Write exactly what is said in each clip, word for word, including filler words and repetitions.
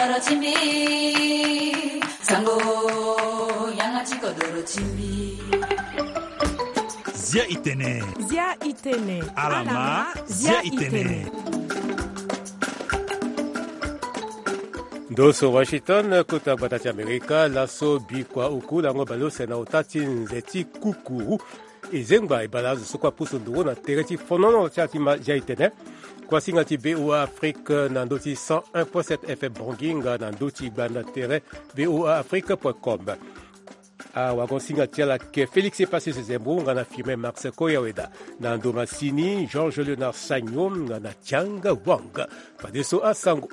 Doro ti mbi, sango, yanga ti kodoro ti mbi. Zia i tene. Zia i tene. Alama, zia i tene. Ndo so Washington, kota gbata ti Amerika, laso bikua oku lango baleuse na ota ti nze ti kukuru. E zengba e bale azo so kue apusu nduru na tere ti fonono ti ala ti ma zia i tene. Kuasinga ti V O A Afrique na ndö ti cent un point sept F M Bangui nga na ndö ti gbanda tere V O A Afrique point com. Awagon-singa ti ala ayeke Félix Epacius Zembo nga na Firmin Max Koyaweda. Na ndo masini, Georges Léonard Sagno nga na Tianga Wang. Fadeso asango.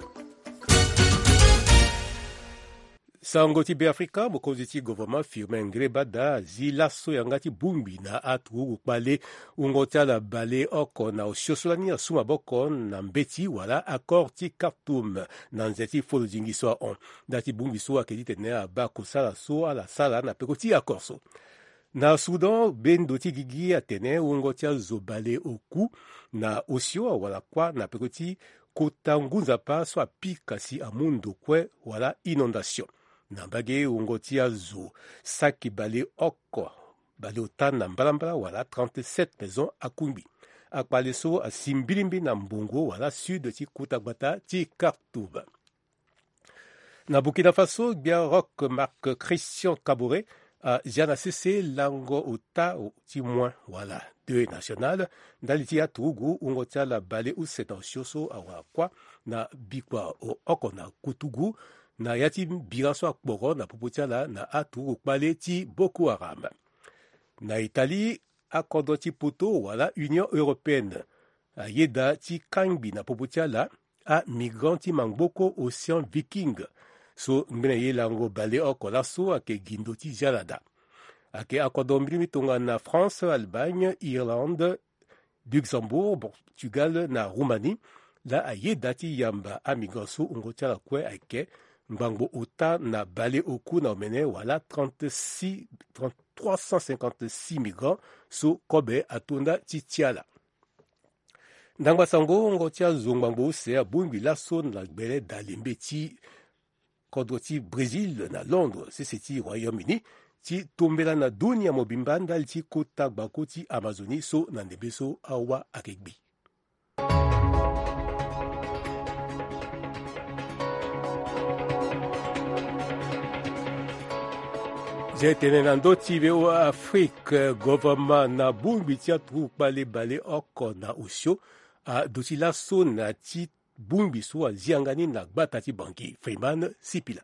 Sango ti Beafrika, mokonzi ti gouvernement Firmin Ngrébada azi laso yanga ti bongbi na aturugu kpale wungo ti ala baleoko na osio so lani asu maboko na mbeti wala accord ti Khartoum na nze ti folo zingi so ahon. Nda ti bongbi so ayeke titene abaa kosala so ala sara na peko ti accord so. Na Soudan, bendo ti gigi atene wungo ti azo baleoku na osio awara kuâ na peko ti kota ngu nzapa so apika si amu ndo kue wala inondation. Na mbage, wungo ti azo saki baleoko, baleota na mbalambala wala trente-sept maisons akungbi. Akpale so asi mbilimbi na mbongo wala sud ti kota gbata ti Khartoum. Na Burkina Faso, gbia Roch Marc Christian Kaboré azia na sese lango ota ti moins wala deuil national ndali ti aturugu wungo ti ala baleuse na osio so awara kuâ na bikua oko na kutugu na ya ti bira so akporo na popo ti ala na aturugu kpale ti Boko Haram. Na Italie, akodro ti poto wala Union européenne ayeda ti kangbi na popo ti ala amigrant ti mangboko Océan Viking. So ngbene ye lango baleoko laso ayeke gi ndo ti zialada. Ayeke akodro mbirimbi tongana France, Allemagne, Irlande, Luxembourg, Portugal na Roumanie laa ayeda ti yamba amigrant so wungo ti ala kue ayeke ngbangbo ota na baleoku na omene wala trente-six, trente, trois cent cinquante-six migrants so kobe ato nda ti ti ala. Ndangba sango, wungo ti azo ngbangbo use abongbi laso na gbele dalembe ti kodro ti Brésil na Londres sese ti Royaume-Uni ti tombela na dunia mobimba ndali ti kota gbako ti Amazonie so na ndembe so awa ayeke gbi. Zia e tene na ndö ti V O A Afrique, gouvernement na bongbi ti aturugu kpale baleoko na osio aduti laso na ti bongbi so azi yanga ni na gbata ti Bangui, Freeman Sipila.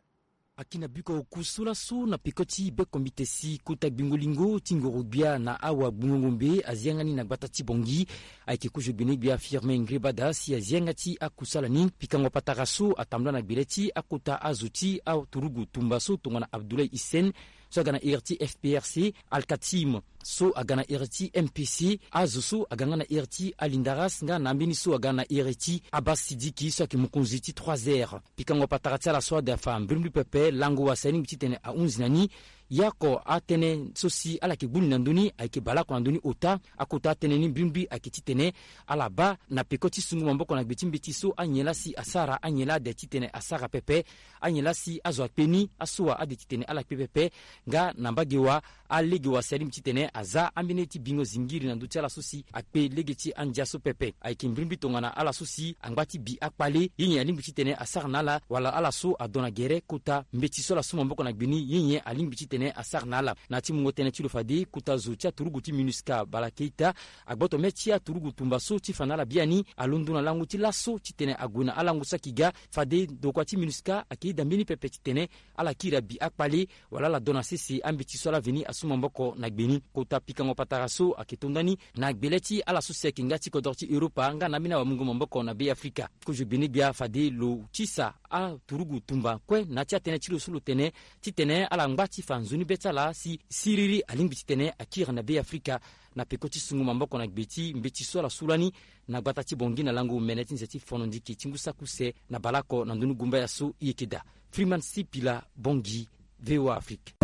Ayeke na biko oku so laso na peko ti bekombite si kota gbingo lingo ti ngoro-gbia na awagbungo-ngombe azi yanga ni na gbata ti Bangui. Ayeke kozo gbene-gbia Firmin Ngrébada si azi yanga ti akusala ni. Pikango patara so atambula na gbele ti akota azo ti aturugu tumba so tongana Abdoulaye Hissène so aga na ere ti F P R C, Al-Katim so aga na ere ti M P C, azo so aga nga na ere ti Alindaras nga na ambeni so aga na ere ti Abbas Sidiki so ayeke mokonzi ti trois R. Pikango patara ti ala so ade afa mbrimbri pepe, lango wase alingbi titene ahunzi na ni. Ye oko atënë so si ala yeke gbu ni na ndö ni ayeke baleoko na ndö ni ota. Akota atënë ni mbrimbri ayeke titene ala baa na peko ti sungu maboko na gbe ti mbeti so anyen laa si asara, anyen laa ade titene asara pepe, anyen laa si azo akpe ni, asoa ade titene ala kpe pepe. Nga na mbage wa, alege wase alingbi titene aza ambeni ye ti bingo zingiri na ndö ti ala so si akpe lege ti andia so pepe. Ayeke mbrimbri tongana ala so si angba ti bi akpale, ye nyen alingbi titene asara na ala, wala ala so adon na gere kota mbeti so ala su maboko na gbe ni, ye nyen alingbi titene asara na ala. Na ya ti mungo tënë ti lo fade, kota zo ti aturugu ti MINUSCA, Bala Keita, agboto mê ti aturugu tumba so ti fa na ala biani, alondo na lango ti laso titene ague na alango saki ga. Fade ndokua ti MINUSCA ayeke yeda mbeni pepe titene ala kiri abi akpale, wala ala don na sese ambeti so ala veni asu maboko na gbe ni. Kota pikango patara so ayeke to ndani na gbele ti ala so si ayeke nga ti kodro ti Europa nga na ambeni awamungo maboko na Be Afrika. Kozo gbene-gbia fade lo tisa aturugu tumba kue na ya ti atënë ti lo so lo tene titene ala ngba ti fa nzoni be ti ala si siriri alingbi titene akiri na Be Afrika na peko ti sungu maboko na gbe ti mbeti so ala su lani na gbata ti Bangui na lango mene ti nze ti fono ndiki ti ngu saki use na baleoko na ndoni gumbaya so e yeke daa. Freeman Sipila, Bangui, V O A Afrique.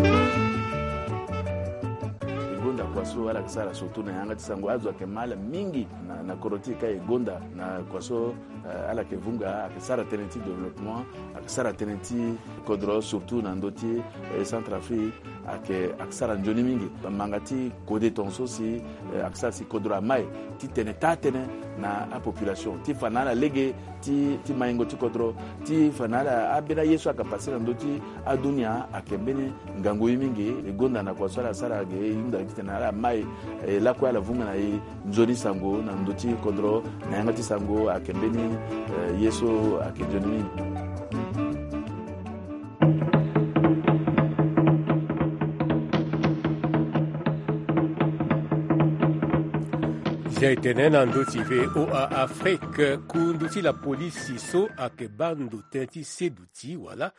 So ala yeke sara surtout na yanga ti sango azo ayeke ma ala mingi na, na kodro ti e ka e gonda na kua so, eh, ala yeke vunga ayeke sara tënë ti développement, ayeke sara tënë ti kodro surtout na ndö ti, eh, Centrafrique ayeke, ayeke sara nzoni mingi. Manga ti kode tongaso si, eh, ayeke sara si kodro amai ti tene taa tënë na apopulation ti fa na ala lege ti, ti maingo ti kodro, ti fa na ala ambeni aye so ayeke pase na ndö ti adunia ayeke mbeni ngangu ye mingi. E gonda na kua so ala sara ge e hunda titene ala mai, eh, lakue ala vunga na e nzoni sango na ndö ti kodro na yanga ti sango ayeke mbeni, eh, ye so ayeke nzoni mingi. Zia e tene na ndö ti V O A Afrique, kundu ti lapolisi so ayeke baa ndo tënë ti seduti wala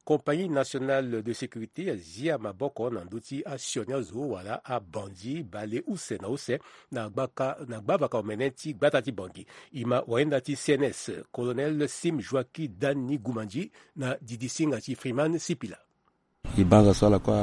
Compagnie Nationale de Sécurité azia maboko na ndö ti asioni azo wala abandi bale use na use na gbaka, na gbavaka omene ti gbata ti Bangui. E ma wayenda ti C N S, Colonel Sim Joaquim Dani Gumandi, na didisinga ti Freeman Sipila. E banza so ala kue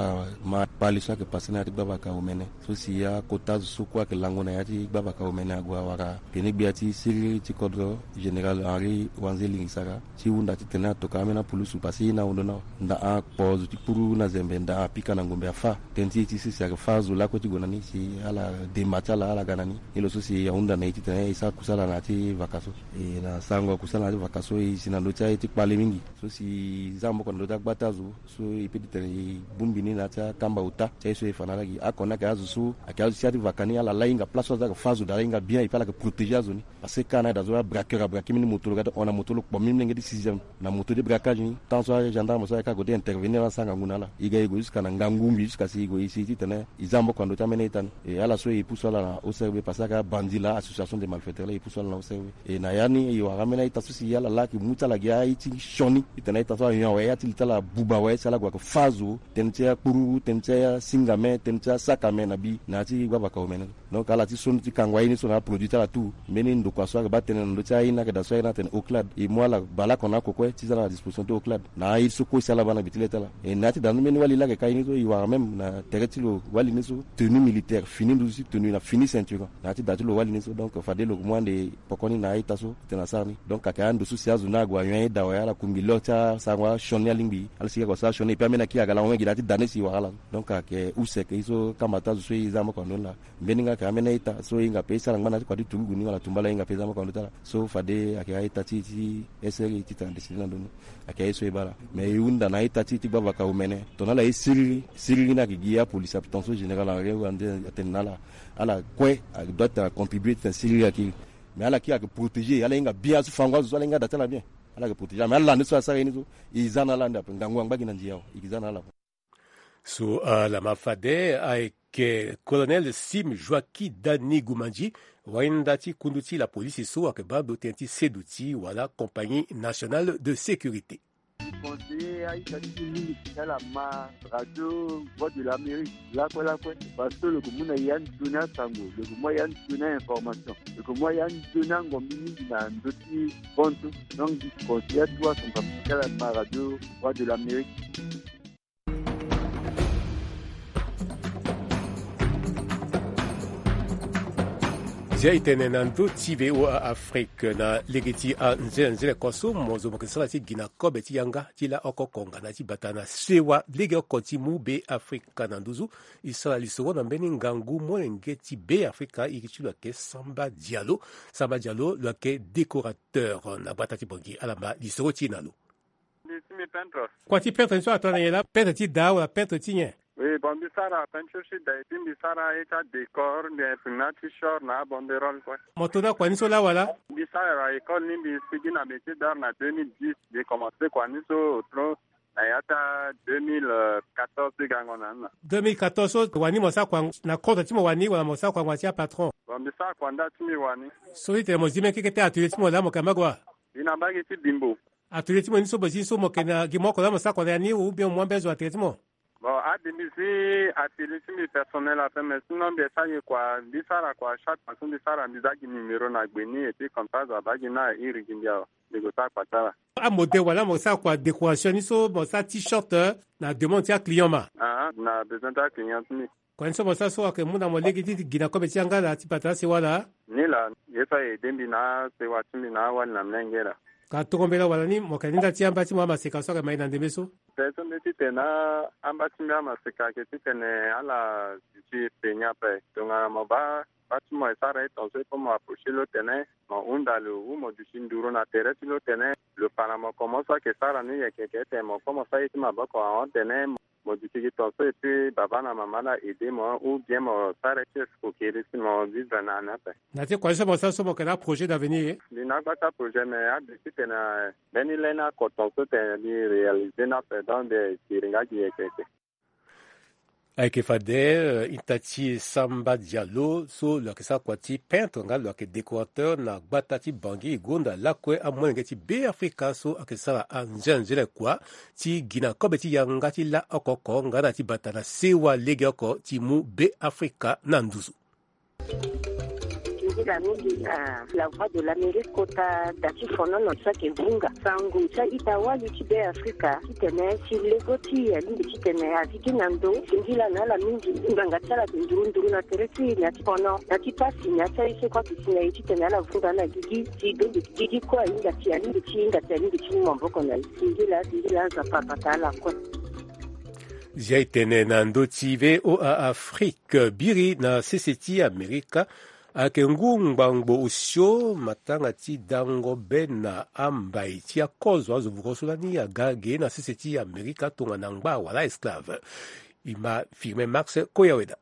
ama kpali so ayeke pase na ya ti gbavaka omene so si akota azo so kue ayeke lango na ya ti gbavaka omene ague awara pene gbia ti siriri ti kodro Général Henri Wanze Lingisara ti hunda titene atokua ambeni apulusu pase e na ahundu ni awe. Ndaa akpo zo ti kpuru na zembe ndaa apika na ngombe afâ. Tënë ti e ti sese ayeke fâ azo lakue ti gue na ni si ala dema ti ala ala ga na ni. Ni lo so si ahunda na e titene e sara kusala na ya ti vaka so. E na sarango kusala na ya ti vaka so e si na ndö ti aye ti kpale mingi so si e za maboko na ndö ti agbata azo so e peut ti tene e bongbi ni na ya ti akamba ota ti aye so e fa na ala gi. Oko ni ayeke azo so ayeke azo ti ya ti vaka ni ala la hinga place so azo ayeke fâ azo daa ala hinga bien et puis ala yeke protéger azo ni. Parce que ka na aye daa so abraqueur abraquer mbeni moto lo ga ti hon na moto lo kpo mbeni molenge ti sixième na moto ti braquage ni. Tant so agendarme so ayeke ague ti intervenir ala sara ngangu na ala. E ga e gue jusqu'à na ngangu ngbi jusqu'à si e gue e si titene e za maboko na ndö ti ambeni a-ita ni. E ala so e pusu ala na O C R B parce que ayeke abandi laa, association des malfaiteurs laa, e pusu ala na O C R B. E na ya ni e wara ambeni a-ita so si ala laa ayeke mu ti ala gi a-ita ti sioni titene a-ita so ayon awe, ya ti li ti ala abuba awe si ala gue ayeke fâ azo, tënë ti akpururu, tënë ti asingame, tënë ti asakame na bi na ya ti gbavaka omene. Donc ala ti sioni ti kango aye ni so na aproduit ti ala tout. Mbeni ndokua so ayeke baa tënë na ndö ti aye ni ayeke daa so aye ni atene OCLAD. E mu ala bale oko na oko kue ti za na disposition ti OCLAD na aye so kue si ala baa na gbe ti le ti ala. E na ya ti daa ni mbeni wali laa ayeke ka ye ni so e wara même na tere ti lo wali ni so tenue militaire, fini nduzu ti tenue na fini ceinturon. Na ya ti daa ti lo wali ni so donc fade lo yeke mu ande poko ni na a-ita so titene asara ni. Donc ayeke ando so si azo ni ague ayon aye daa awe ala kungbi lo ti asarango asioni alingbi ala sigi ayeke wara so asioni et puis ambeni akiri aga lango mingi na ya ti daa ni si e wara ala. Donc ayeke use ayeke ye so kamba ti azo so e za maboko na ndö ni laa. Mbeni nga ayeke ambeni a-ita so e hinga pe e sara ngba na ya ti kua ti turugu ni wala tumba laa e hinga pe e za maboko na ndö ti ala. So fade ayeke a-ita ti, ti S R I titene adécider na ndö ni. Ayeke aye so e baa laa. Mais e hunda na a-ita ti, ti gbavaka omene. Tongana ala ye siriri, siriri ni ayeke gi apolisi ape tongaso général Henri Wande atene na ala. Ala kue adoit acontribuer titene siriri akiri. Mais ala kiri ayeke protéger, ala hinga bien azo fango azo so ala hinga da ti ala bien. Ala yeke protéger mais ala ni so asara ye ni so e za na ala ande ape ngangu angba gi na ndia awe e yeke za na ala ape. So ala ma fade ayeke Colonel Sim Joaquim Dani Gumandi, wainda ti kundu ti lapolisi so ayeke baa ndo tënë ti seduti wala Compagnie Nationale de Sécurité. Conseiller a-ita ti e mingi ti ala ma radio Voix de l'Amérique lakue lakue parce que lo yeke mu na e ya nzoni asango, lo yeke mu a ya nzoni a-information, lo yeke mu a ya nzoni angombi mingi na ndö ti bontu. Donc mbi conseiller atuwa son kapa ti ala ma radio Voix de l'Amérique. Zia e tene na ndö ti V O A Afrique na lege ti anzenanzene kua so mo zo mo yeke sara ti gi na kobe ti yanga ti la oko konga na ti bata na sewa legeoko ti mu Be Afrika na nduzu. E sara lisoro na mbeni ngangu molenge ti Be Afrika iri ti lo ayeke Samba Diallo. Samba Diallo lo ayeke décorateur na gbata ti Bangui. Ala ma lisoro ti e na lo. Mbi si mbi peintre. Kua ti peintre ni so atene na nyen laa, peintre ti da wala peintre ti nyen? Oui, bon, mbi sara peinture ti da et puis mbi sara ye ti adécor, mbi imprime na t-shirt na abanderole kue. Mo to na kua ni so laa wala? Mbi sara école ni, mbi sigi na métier d'art na deux mille dix. Mbi commencé kua ni so otro na ya ti a deux mille quatorze ti gango na ni na. Deux mille quatorze so wani mo sara kua na compte ti mo wani wala mo sara kua na ngbanga ti apatron? Bon, mbi sara kua nda ti mbi wani. So ti tene mo zi mbeni keke ti atelier ti mo laa mo yeke na mbage wa? Mbi na mbage ti Bimbo. Atelier ti mo ni so mo zi ni so mo yeke na gi mo oko laa mo sara kua na ya ni ou bien mo mu ambeni zo na tere ti mo? Bon, ade mbi zi atelier ti mbi personnel ape, mais sinon mbi sara gi kua, mbi sara kua chaque fois so mbi sara mbi za gi numéro na gbe ni et puis comme ça azo abaa gi ni airi gi mbi awe, mbi gue sara kua ti ala. Amodèle wala mo sara kua décoration ni so mo sara t-shirt, eh, na demande ti aclient ma? Ah, na besoin ti aclient ti mbi. Kua ni so mo sara so ayeke mu na mo lege ti gi na kobe ti yanga ala ti bata na sewa laa? Ni laa, ye so aye de mbi na asewa ti mbi na awali na molenge laa. Ka tongo mbela wala ni mo yeke na ni nda ti amba ti mo amaseka so ayeke mai na ndembe so? Pe so mbi titene amba ti mbi amaseka ayeke titene ala duti e pe ni ape. Tongana mo baa bâ ti mo e sara ye tongaso e pe mo approcher lo tene mo hunda lo wu mo duti nduru na tere ti lo tene lo fa na mo komo so ayeke sara ni yeke yeke tene mo komo sara ye ti maboko ahon tene mo duti gi tongaso e pe baba na mama la aide mo ou bien mo sara ye ti escroquerie si mo vivre na ni ape. Na ti kua ni so mo sara so mo yeke na aprojet d'avenir ye? Mbi na agba ti aprojet mais ade titene mbeni le ni ako tongaso tene mbi réaliser ni ape donc mbi siri nga gi yeke yeke. Ayeke fade, eh, ita ti Samba Diallo so lo yeke sara kua ti peintre nga lo yeke décorateur na gbata ti Bangui e gonda lakue amolenge ti Beafrika so ayeke sara anzenanzene kua ti gi na kobe ti yanga ti la oko oko nga na ti bata na sewa lege oko ti mu Beafrika na nduzu. Nzila mingi na La Voix de l'Amérique kota da ti fonono so ayeke vunga sango ti a-ita wali ti Beafrika titene si lego ti e alingbi titene azi gi na ndo. Singila na ala mingi, ngbanga ti ala ayeke nduru nduru na tere ti e na ti fono na ti pasi na ya ti aye so kue ayeke si na e titene ala vunga na gigi si donge gigi kue ahinga ti alingbi ti hinga ti alingbi ti mu maboko na e. Singila singila Nzapa abata ala kue. Zia e tene na ndö ti V O A Afrique, biri na sese ti Amerika ayeke ngu ngbangbo osio matanga ti dango be na ambai ti akozo azo voko so lani aga ge na sese ti Amerika tongana ngba wala esclave. E ma Firmin Marx Koyaweda.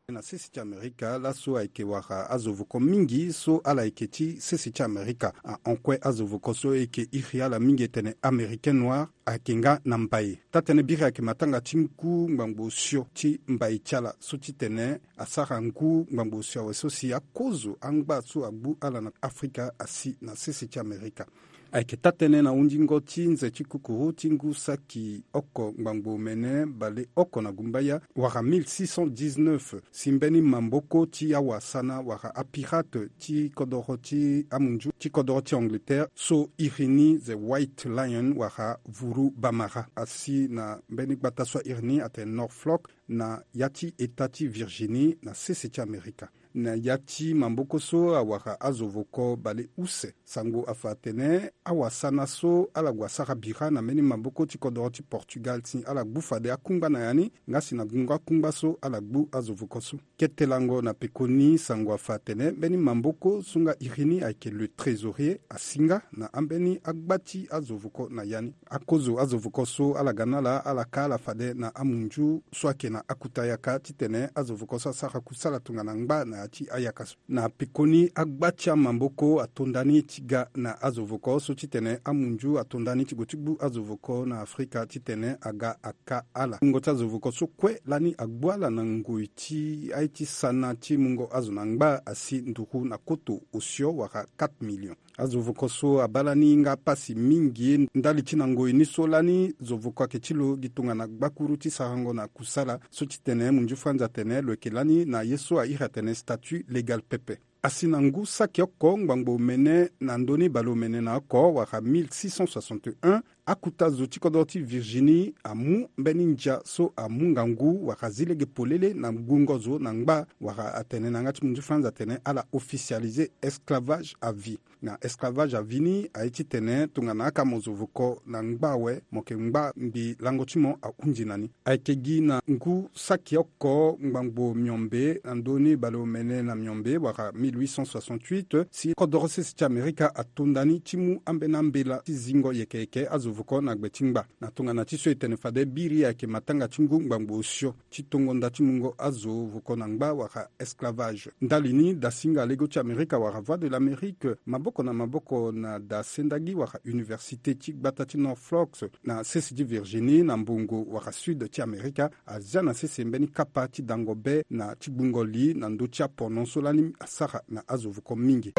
Na sese ti Amerika laso ayeke wara azo voko mingi so ala yeke ti sese ti Amerika ahon kue azo voko so e yeke iri ala mingi e tene Américain noir ayeke nga na mbai. Taa-tënë biri ayeke matanga ti ngu ngbangbo osio ti mbai ti ala so titene asara ngu ngbangbo osio awe so si akozo angba so agbu ala na Afrika asi na sese ti Amerika. Ayeke taa-tënë na hundingo ti nze ti kukuru ti ngu saki oko ngbangbo mene baleoko na gumbaya wala mille six cent dix-neuf, si mbeni maboko ti awasana wala apirate ti kodoro ti amunzu ti kodoro ti Angleterre so iri ni The White Lion wala vuru bamara asi na mbeni gbata so airi ni atene Norfolk na ya ti eta ti Virginie na sese ti Amerika. Na ya ti maboko so awara azo voko baleuse. Sango afa atene awasana so ala gue asara bira na mbeni maboko ti kodoro ti Portugal si ala gbu fade akungba na ya ni nga si na gungo akungba so ala gbu azo voko so. Kete lango na pekoni sango afa atene mbeni maboko so nga iri ni ayeke le trésorier asi nga na ambeni agba ti azo voko na ya ni. Akozo azo voko so ala ga na ala ala ka ala fade na amunzu so ayeke na akuta yaka titene azo voko so asara kusala tongana ngba na ya ti ayaka so. Na pekoni agba ti amaboko ato ndani ti ga na azo voko so titene amunzu ato ndani ti gue ti gbu azo voko na Afrika titene aga aka ala. Mungo ti azo voko so kue lani agbu ala na ngoi ti aye ti sana ti mungo azo na ngba asi nduru na koto osio wala quatre millions. Azo voko so abaa lani nga pasi mingi ndali ti na ngoi ni so lani zo voko ayeke ti lo gi tongana gbakuru ti sarango na kusala so titene munzu franzi atene lo yeke lani na ye so airi atene statut légal pepe. Asi na ngu saki oko ngbangbo omene na ndö ni baleomene na oko wala mille six cent soixante et un, akuta zo ti kodro ti Virginie amu mbeni ndia so amu ngangu wala zi lege polele na gungo zo na ngba wala atene na yanga ti munzu franzi atene ala officialiser esclavage à vie. Na esclavage à vie ni aye titene tongana akamo zo voko na ngba awe mo yeke ngba mbi lango ti mo ahundi na ni. Ayeke gi na ngu saki oko ngbangbo miombe na ndö ni baleomene na miombe wala mille huit cent soixante-huit si kodoro sese ti Amerika ato ndani ti mu ambeni ambela ti zingo yeke yeke azo voko na gbe ti ngba. Na tongana ti so e tene fade biri ayeke matanga ti ngu ngbangbo osio ti tongo nda ti mungo azo voko na ngba wala esclavage. Ndali ni dasinga lego ti Amerika wala Voix de l'Amérique maboko na maboko na da sendagi wala université ti gbata ti Norfolk na sese ti Virginie na mbongo wala sud ti Amerika azia na sese mbeni kapa ti dango be na ti gbungo li na ndö ti apono so lani asara na azo voko mingi.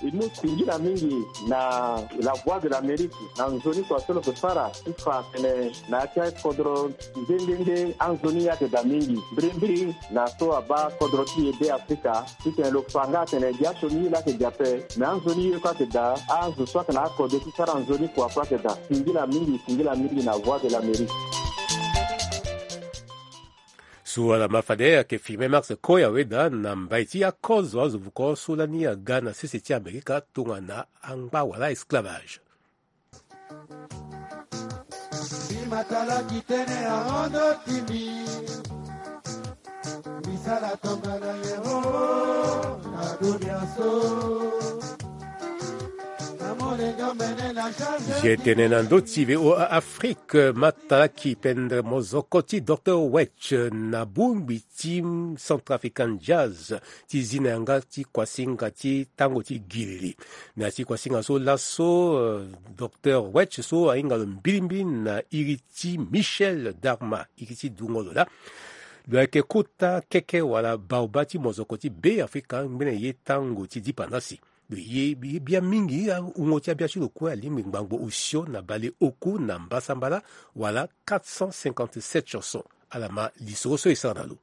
E mu singila mingi na La Voix de l'Amérique na nzoni kua so lo yeke sara ti fa atene na ya ti akodro nde nde nde anzoni ye ayeke daa mingi mbirimbiri na so abaa kodro ti e Beafrika titene lo fa nga atene gi asioni ye laa ayeke gi ape. Me anzoni ye kue ayeke daa, azo so ayeke na akode ti sara nzoni kua kue ayeke daa. Singila mingi, singila mingi na Voix de l'Amérique. Tout ala ma fade ayeke filme Max Koya Weda na mbai ti akozo azo vuko so lani aga na sese ti Amerika tongana angba wala esclavage. Ye tene na ndö ti V O A Afrique, matalaki pendere mozoko ti Docteur Wetch na bongbi ti Centrafrican Jazz ti zi na yanga ti kuasinga ti tango ti gilili. Na ya ti kuasinga so laso, eh, Docteur Wetch so ahinga lo mbilimbili na iri ti Michel Darma, iri ti dungo lo laa. Lo yeke kota keke wala baoba ti mozoko ti Be Afrika ngbene ye tango ti dipandasi. Lo ye, ye bia mingi, awungo ti abia ti lo kue alingbi ngbangbo osio na bale oku na mbasambala wala quatre cent cinquante-sept chansons. Ala ma lisoro so e sara na lo.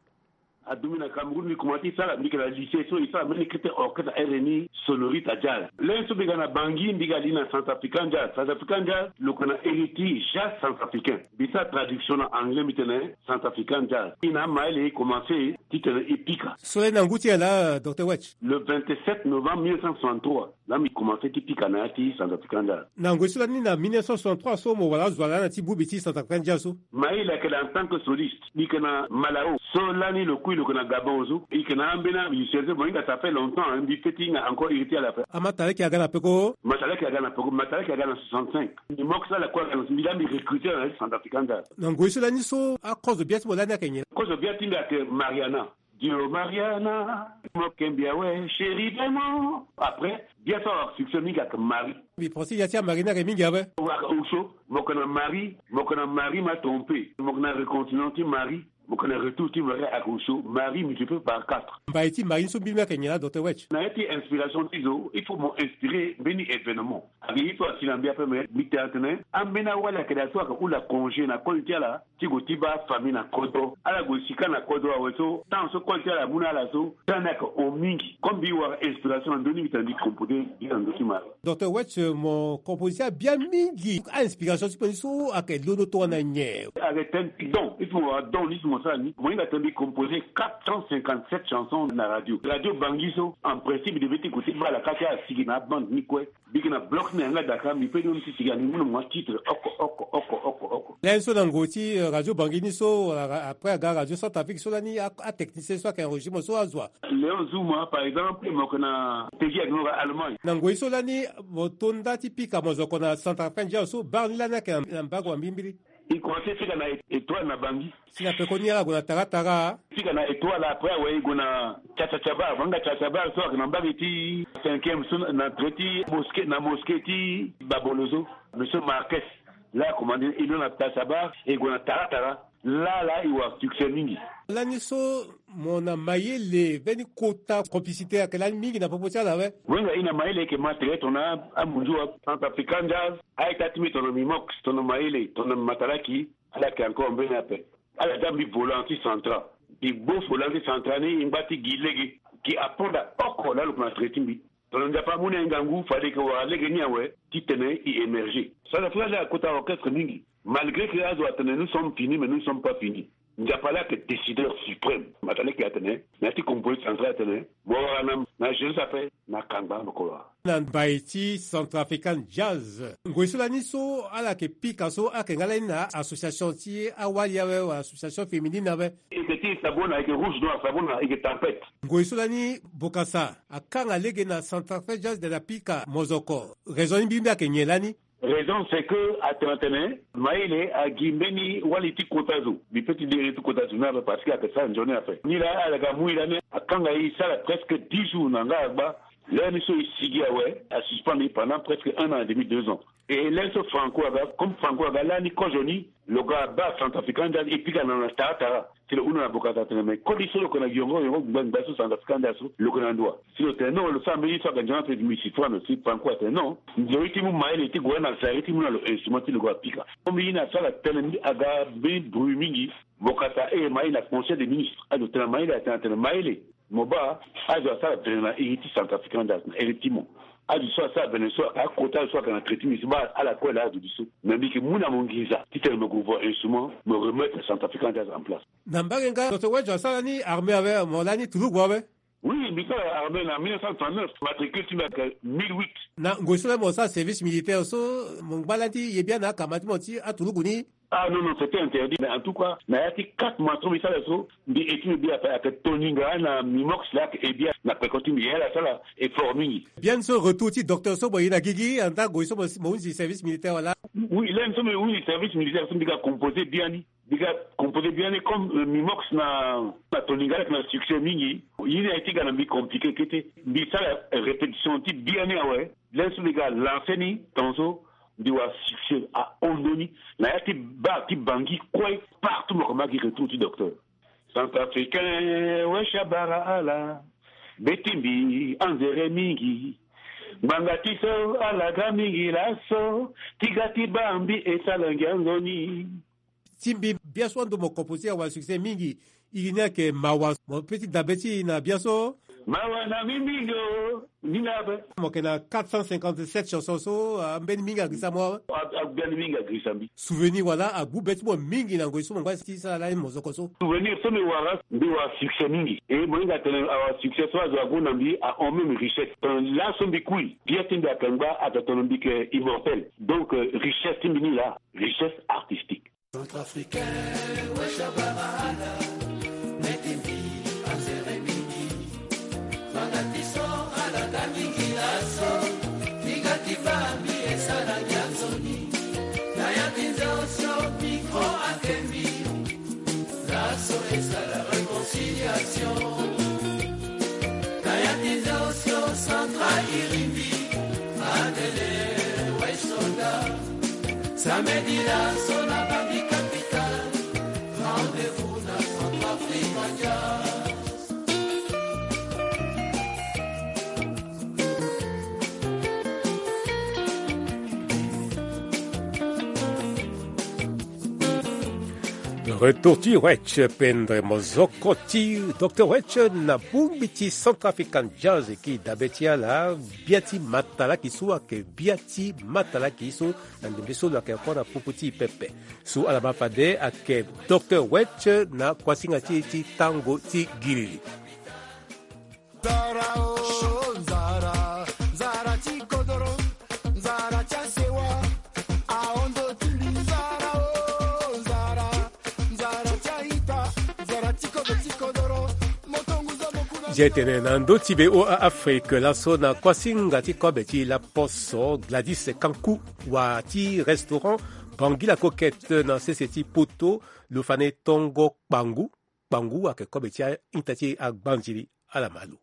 Adumu na Cameroun, mbi komanse ti sara, mbi yeke na lycée so e sara mbeni kete orchestre R N I Sonorita Jazz. Lê so mbi ga na Bangui, mbi ga li na Centrafrican Jazz. Centrafrican Jazz lo yeke na héritier jazz centrafricain. Mbi sara traduction na anglais, mbi tene Centrafrican Jazz. E na amayele e komanse titene e pika. So lê na ngu ti nyen laa, Docteur Wetch? Le vingt-sept novembre mille neuf cent soixante-trois, laa mbi komanse ti pika na ya ti Centrafrican Jazz. Na ngoi so lani na mille neuf cent soixante-trois so mo wara azo ala na ti bongbi ti Centrafrican Jazz so? Mayele ayeke na en tant que soliste. Mbi yeke na Malao so lani lo kui lo yeke na Gabon so. E yeke na ambeni amusicien so mo hinga, ça fait longtemps, hein, mbi peut ti hinga encore iri ti ala ape. Amatalaki aga na peko? Matalaki aga na peko, Matalaki aga na soixante-cinq. Mbi moko so ala kue aga na, mbi laa mbi recruter na ya ti Centrafrican Jazz. Na ngoi so lani so akozo bia ti mo lani ayeke nyen? Kozo bia ti mbi ayeke Mariana. Dio Mariana, mo kembi awe, chéri vraiment. Après, bia so awara succès mingi ayeke Marie. Mbi pense ya ti amari ni ayeke mingi awe. Wara osio, mo yeke na Marie, mo yeke na Marie m'a trompé, mo yeke na recontinent ti Marie, mo yeke na retour ti Marie ayeke osio, Marie multiplié par quatre. Mbai ti Marie ni so mbi mbi ayeke nyen laa, Docteur Wetch? Na ya ti inspiration ti zo, il faut mo inspiré mbeni événement. Ake ye so asi na mbi ape, me mbi tene atene ambeni awali ayeke daa so ayeke hula congé na koli ti ala ti gue ti baa afamille na kodro. Ala gue si kâ na kodro awe so, temps so koli ti ala amu na ala so, temps ni ayeke hon mingi. Comme mbi wara inspiration na ndö ni, mbi tene mbi composé gi na ndö ti Marie. Docteur Wetch, mo composé abia mingi. A-inspiration ti kpe ni so ayeke londo tongana nyen? Ayeke tënë ti don. Ye so mo wara don ni so mo sara ni, mo hinga tene mbi composé quatre cent cinquante-sept chansons na radio. Radio Bangui so, en principe, mbi devait ti gue ti baa ala kâ ti ala sigi na abande ni kue. Mbi yeke na bloc na yanga Dakar, mbi peut ti sigi ande mbi mu na mo titre oko oko oko oko oko. Lani so na ngoi ti, euh, radio Bangui ni so, wala ra-, après aga radio Centrafrique so lani a-, atechnicien so ayeke enregistré mo so azo wa? Léon Zouma, par exemple, mo yeke na Peggy Agnoura, Allemagne. Na ngoi so lani mo to nda ti pika mozoko na Centrafrique, ndia so bar ni lani ayeke na, na mbago wa mbilimbili. E komanse pika na Etoile na Bangui. Si na pekoni ala gue na Tara Tara. Pika na Etoile, après awe e gue na Cha Cha Cha Bar. Mo hinga Cha Cha Bar so ayeke na mbage ti cinquième so na, na trait ti mosquée, na mosquée ti Babolo so. Monsieur Marquez, laa akomande e londo na Cha Cha Bar e gue na Tara Tara. Laa laa e wara succès mingi. Lani so mo na mayele, mbeni kota complicité ayeke lani mingi na popo ti ala awe. Wenga e na mayele ayeke ma tere tongana amunzu wa Centrafrican Jazz. A-ita ti mbi tongana Mimox, tongana Mayele, tongana Matalaki, ala yeke encore mbeni ape. Ala dä mbi volant ti Centra. Mbi gbo volant ti Centra ni, e ngba ti gi lege. Gi aponda oko laa lo yeke na tere ti mbi. Tongana Nzapa amu ni ahinga ngu, fade e yeke wara lege ni awe titene e émerger. Centrafrique laa akota orchestre mingi. Malgré que azo atene nous sommes finis, mais nous ne sommes pas finis. Nzapa laa ayeke décideur suprême. Matalaki atene, na ya ti composé Centra atene, mo wara na, na jeunesse ape, na kangba mo ko wara. Na mbai ti Centrafrican Jazz. Ngoi so lani so ala yeke pika so ayeke nga lani na association ti awali awe wala association féminine awe. E yeke ti Sabona, e yeke Rouge Noir Sabona, e yeke Tempête. Ngoi so lani Bokassa akanga lege na Centrafrican Jazz de la pika mozoko. Raison ni mbi mbi ayeke nyen lani? Raison c'est que atene atene mayele agi mbeni wali ti kota zo. Mbi peut ti dire ti kota zo ni ape parce que ayeke sara nzoni ape. Ni laa ala ga mu e lani akanga e sara presque dix jours na nga agba. Lani so e sigi awe, asuspendre e pendant presque un an et demi, deux ans. E lani so Franco aga, comme Franco aga lani kozo ni, lo ga baa Centrafrican Jazz e pika na lo na Tara Tara. Si lo hunda na Bokassa atene, mais koli so lo yeke na yongo yongo ngba ngba so Centrafrican Jazz so, lo yeke na ndo wa? Si lo tene non, lo sara mbeni ye so ayeke nzoni ape, mbi si fran lo. Si Franco atene non, nzoni ti mu mayele ti gue na sari ti mu na lo instrument ti lo gue apika. Comme ye ni asara tënë ni aga mbeni bruit mingi. Bokassa aye mayele na Conseil des ministres. Azo tene mayele, atene atene mayele. Mo baa azo asara vene na iri ti Centrafrican Jazz na iri ti mo. Azo so asara vene so, akota azo so ayeke na tere ti mbi so, baa ala kue laa azo ti so. Mais mbi yeke mu na mo nginza titene mo gue voir instrument, mo remettre Centrafrican Jazz en place. Na mbage nga docteur Wedge asara ni armée awe, mo lani tulugu awe. Oui, mbi sara armée na mille neuf cent trente-neuf, matricule ti mbi ayeke mille huit. Na ngoi so laa mo sara service militaire so, mo ngba lani ti ye bia na akama ti mo ti atulugu ni? Ah non, non, c'était interdit. Mais en tout cas, na ya ti quatre mois so mbi sara so, mbi eti mbi bia ape ayeke Toninga na Mimox laa ayeke e bia na peko ti mbi, ya ala sara effort mingi. Biani so retour ti docteur so mo ye na gigi anda ngoi so mo, mo hunzi service militaire wala? Oui, lani so mbi hunzi service militaire so mbi ga composer biani. Mbi ga composer biani comme, euh, Mimox na, na Toninga ayeke na succès mingi. Ye ni aye ti ga na mbi compliqué kete. Mbi sara répétition ti biani awe. Lani so mbi ga lancer ni tongaso mbi wara succès ahon ndoni. Na ya ti bar ti Bangui kue, partout mo yeke ma gi retour ti docteur. Centrafricain, wesh abara ala. Be ti mbi anzere mingi. Ngbanga ti so ala ga mingi laso. Ti ga ti baa mbi e sara ngia nzoni. Ti mbi biaso ando mo composer awara succès mingi. Iri ni ayeke Mawa. Mo peut ti dabe ti e na biaso? Mawa na mbi mingi o. Ni na ape. Mo yeke na quatre cent cinquante-sept chansons so, ah, ambeni mingi agirisa mo awe? A, abiani mingi agirisa mbi. Souvenir wala agbu be ti mo mingi na ngoi so mo ngba ti sara lani mozoko so? Souvenir so mbi wara, mbi wara succès mingi. E mo hinga atene awara succès so azo agu na mbi ahon même richesse. Tongana laso mbi kui, bia ti mbi ayeke ngba, atene mbi yeke immortel. Donc, euh, richesse ti mbi ni laa, richesse artistique. Centrafricain, wesh abara ala. Meti mbi anzere mingi. Ngbanga ti so ala ga mingi laso. Ti ga ti baa mbi e sara ngia nzoni. Na ya ti nze osio micro ayeke mbi. Laso e sara réconciliation. Na ya ti nze osio central iri mbi. Adele, wesh soda. Samedi laso na Bangui capitale, rendez-vous na Centrafrique Jazz. Retour ti Wetch, pendre mozoko ti docteur Wetch na bongbi ti Centrafrican Jazz. E ki dabe ti ala, bia ti matalaki so ayeke bia ti matalaki so na ndembe so lo yeke kue na popo ti e pepe. So ala ma fade ayeke docteur Wetch na kuasinga ti e ti tango ti giriri. Nzara o, nzara, nzara ti kodoro, nzara ti asewa, ahondo ti mbi, nzara o, nzara, nzara ti aita, nzara ti kodo ti kodoro, moto nguza mokuna. Zia tene na ndö ti be o a Afrique laso na kuasinga ti kobe ti laposo Gladys Kanku, wa ti restaurant Bangui la Coquette na sese ti Poto, lo fa na e tongo kpangu. Kpangu ayeke kobe ti a-ita ti agbanzili, ala ma lo.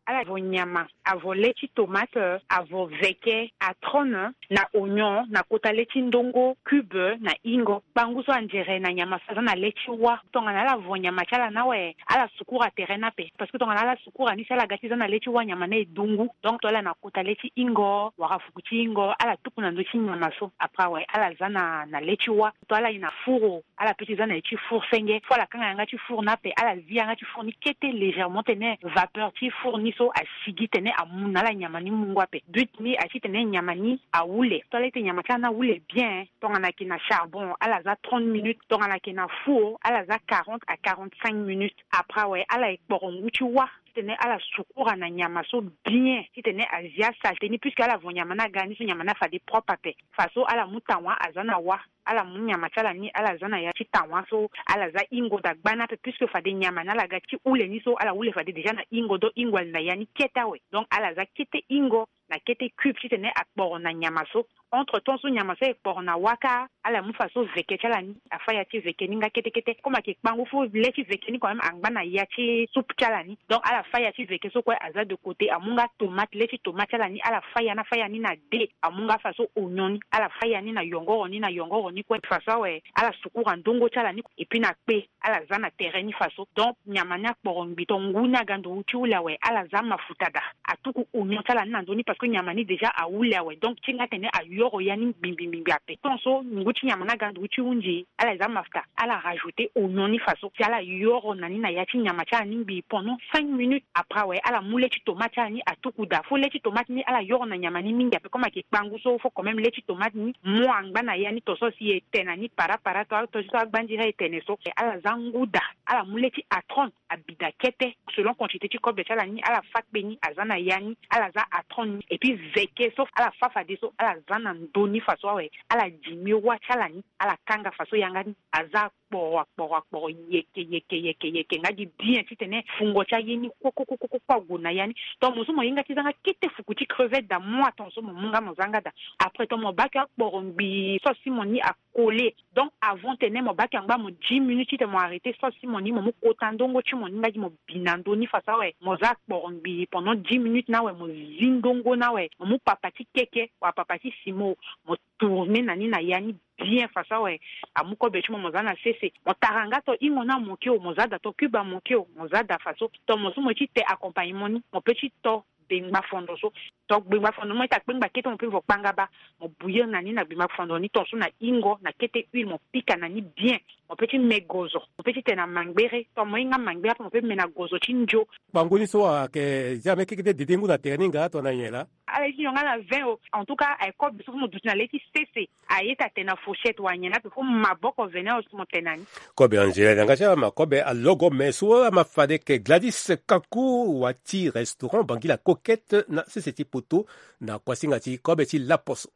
Ala vo nyama, avo le ti tomate, avo veke, atrone, na oignon, na kota le ti ndongo, cube, na ingo. Kpangu so anzere na nyama so aza na le ti wâ. Tongana ala vo nyama ti ala ni awe, ala sukura tere ni ape. Parce que tongana ala sukura ni si ala ga ti za na le ti wâ, nyama ni e dungu. Donc to ala na kota le ti ingo, wala fuku ti ingo, ala tuku na ndö ti nyama so. Après awe, ala za na, na le ti wâ. To ala ye na four, ala peut ti za na ye ti four senge. Faut ala kanga yanga ti four ni ape, ala zi yanga ti four ni kete légèrement, titene vapeur ti four ni so asigi, titene amu na ala nyama ni mungo ape. But ni aye titene nyama ni ahule. To ala ye ti nyama ti ala ni ahule bien, tongana ayeke na charbon, ala za trente minutes. Tongana ayeke na four, ala za quarante à quarante-cinq minutes. Après awe, ala ye kporo ngu ti wâ, titene ala sukura na nyama so bien, titene azia saleté ni, puisque ala vo nyama ni aga ni so, nyama ni afade propre ape. Faso ala mu tawa aza na wâ. Ala mu nyama ti ala ni, ala za na ya ti tawa so, ala za ingo dagba ni ape, puisque fade nyama ni ala ga ti hule ni so, ala hule fade déjà na ingo, donc ingo ali na ya ni kete awe. Donc ala za kete ingo na kete cube titene akporo na nyama so. Entre temps so nyama so aye kporo na wâ kâ, ala mu faso veke ti ala ni, afa ya ti veke ni nga kete kete. Comme ayeke kpangu, faut le ti veke ni quand même angba na ya ti soupe ti ala ni. Donc ala fa ya ti veke so kue, aza de côté, amu nga tomate, le ti tomate ti ala ni, ala fa ya ni, afa ya ni na de, amu nga faso oignon ni, ala fa ya ni na yongoro ni, na yongoro ni kue. Faso awe, ala sukura ndongo ti ala ni, et puis na kpe, ala za na tere ni faso. Donc nyama ni akporo ngbi, to ngu ni aga ndo ti hule awe, ala za mafuta daa. Atuku oignon ti ala ni na ndö ni, parce que nyama ni déjà ahule awe. Donc ti nga tene ayoro ya ni ngbingbi ngbingbi ape. Tant so ngu ti nyama ni aga ndugu ti hunzi, ala za mafta, ala rajouter oignon ni faso, si ala yoro na ni na ya ti nyama ti ala ni ngbii pendant cinq minutes. Après awe, ala mu le ti tomate ti ala ni atuku daa. Faut le ti tomate ni ala yoro na nyama ni mingi ape, comme ayeke kpangu so, faut quand même le ti tomate ni mo angba na ya ni. Tant so si e te na ni para para, to, to, to agbandiri e tene so, ala za ngu daa, ala mu le ti atron, abi daa kete, selon quantité ti kobe ti ala ni, ala fa kpe ni, aza na ya ni, ala za atron ni. Et puis veke so, ala fa fadeso, ala za na ndo ni faso awe, ala dimi wâ ti ala ni, ala kanga faso yanga ni, aza akporo, akporo, akporo, yeke, yeke, yeke, yeke, nga gi bien titene fungo ti aye ni kue, kue, kue, kue, kue, ague na ya ni. Donc mo so mo hinga ti zanga kete fuku ti crevette daa, mo attend so mo mu nga mo zanga daa. Après tant mo bake akporo ngbii so si mo ni a coller. Donc avant tene mo bake angba mo dix minutes titene mo arrêter so si mo ni, mo mu kota ndongo ti mo ni nga gi mo bi na ndo ni faso awe, mo za akporo ngbii pendant dix minutes ni awe, mo zi ndongo ni awe, mo mu papa ti keke wala papa ti simo, mo tourner na ni na ya ni bien faso awe. Amu kobe ti mo, mo za na sese. Mo tara nga tant ingo ni amoke o, mo za daa tant cube amoke o, mo za daa faso. Tant mo so mo ti te accompagnement ni, mo pe ti to gbengba fondo so. Tant gbengba fondo ni mo ita kpengba kete, mo pe vo kpanga baa. Mo bouillir na ni na gbengba fondo ni, tant so na ingo na kete huile, mo pika na ni bien. Mo pe ti me gozo, mo pe ti te na mangbere. Tant mo hinga mangbere ape, mo pe me na gozo ti ndio. Kpangu ni so ayeke zia me kekete dede ngu na tere ni nga tongana nyen laa? Ala ye ti nyon nga na vin o. En tout cas aye kobe so fo mo duti na le ti sese. Aye ti atene na fourchette wala nyen na ape, fo maboko vene o si mo tene na ni. Kobe Angela na nga ti ala ma kobe alogo me so ama fade ke Gladys Kaku wa ti restaurant Bangui la Coquette na sese ti poto na kuasinga ti kobe ti laposo.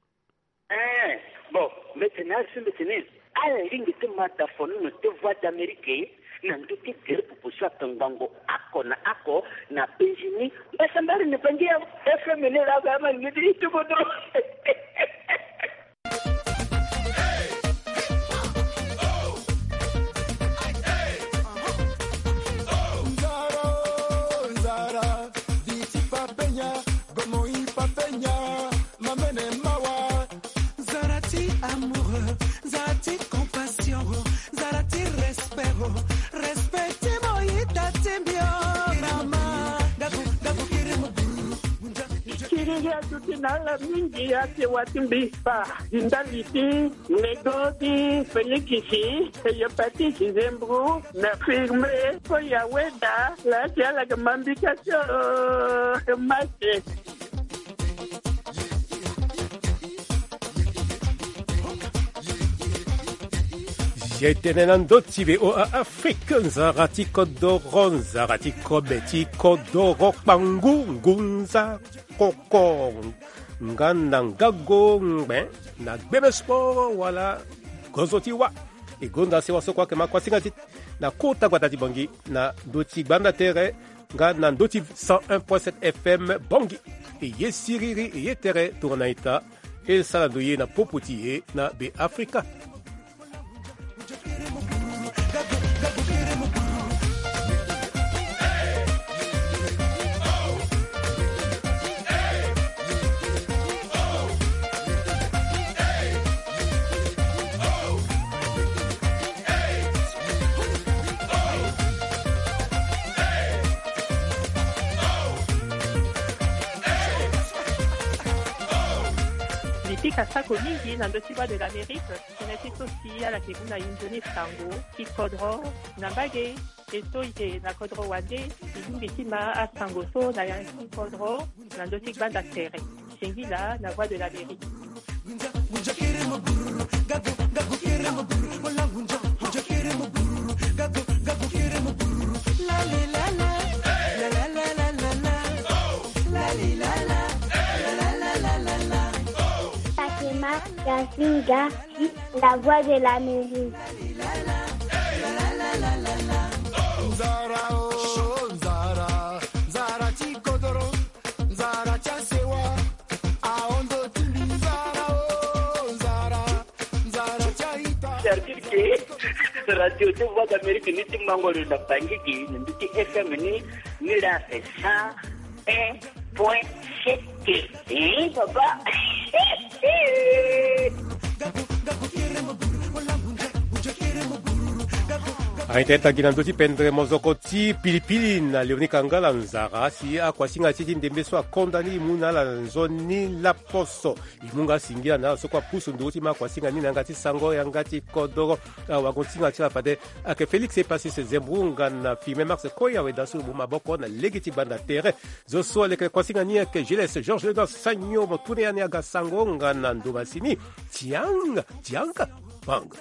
Eh, bon, mbe tene asi mbe tene ala lingbi ti ma da fono na te Voix d'Amérique na ndö ti gere popo so akangbango oko na oko na penzi ni. Mbasambari ni Bangui ya F M ni la ga ma ni ti tuko dro. Nzara, nzara, di ti papenya, gomo i papenya, mamene mawa. Nzara ti amoureux, nzara ti compassion, nzara ti respect, respect ti mo ita ti mbio. Rama, gabu, gabu kiri mo buru. Kiriri aduti na ala mingi ake wa ti mbi fa. Di ndali ti Nego ti Félix, Cléopâtre ti Zembro na Firme, Koya Weda, la ti ala ga mambika ti o mate. Ye tene na ndö ti V O A Afrique, nzara ti kodoro, nzara ti kobe ti kodoro, kpangu, ngunza, koko, nga na ngago ngbe, na gbebe sport wala gozo ti wa. E gonda sewa so kue ayeke ma kuasinga ti na kota gbata ti Bangui na ndö ti gbanda tere nga na ndö ti cent un point sept F M Bangui. E ye siriri, e ye tere tongana ita. E sara ndo ye na popo ti e na Be Afrika. Mbi pika sako mingi na ndö ti Voix de l'Amérique. Tënë ti so si ala yeke mu na inzo ni sango ti kodro na mbage. E so e yeke na kodro wande, e lingbi ti ma asango so na ya ti kodro na ndö ti gbanda tere. Singila na Voix de l'Amérique. Fatima Yasinga, la Voix de l'Amérique. Nzara, oh, nzara, nzara ti kodoro, nzara ti asewa, ahondo ti mbi, nzara, oh, nzara, nzara ti aita. Service ke Radio ti Voix d'Amérique ni ti mango lo na Bangui gi na ndö ti F M ni, ni la c'est cent un point sept. Eh, papa. Aita ita gi na ndö ti pendre mozoko ti pilipili na Léonie Kangala Nzara si akuasinga ti ti ndembe so akonda ni e mu na ala nzoni laposo. E mu nga singila na ala so kue apusu nduru ti ma akuasinga ni na yanga ti sango yanga ti kodoro. Awagosinga ti ala fade ayeke Félix Epasis Zembrunga na Firmin Marx Koya, weda so lo mu maboko na lege ti gbanda tere. Zo so aleke kuasinga ni ayeke Gilles Georges Ledan Sagno, mo tune ya ni aga sango nga na ndo masini. Tianga tianga bang.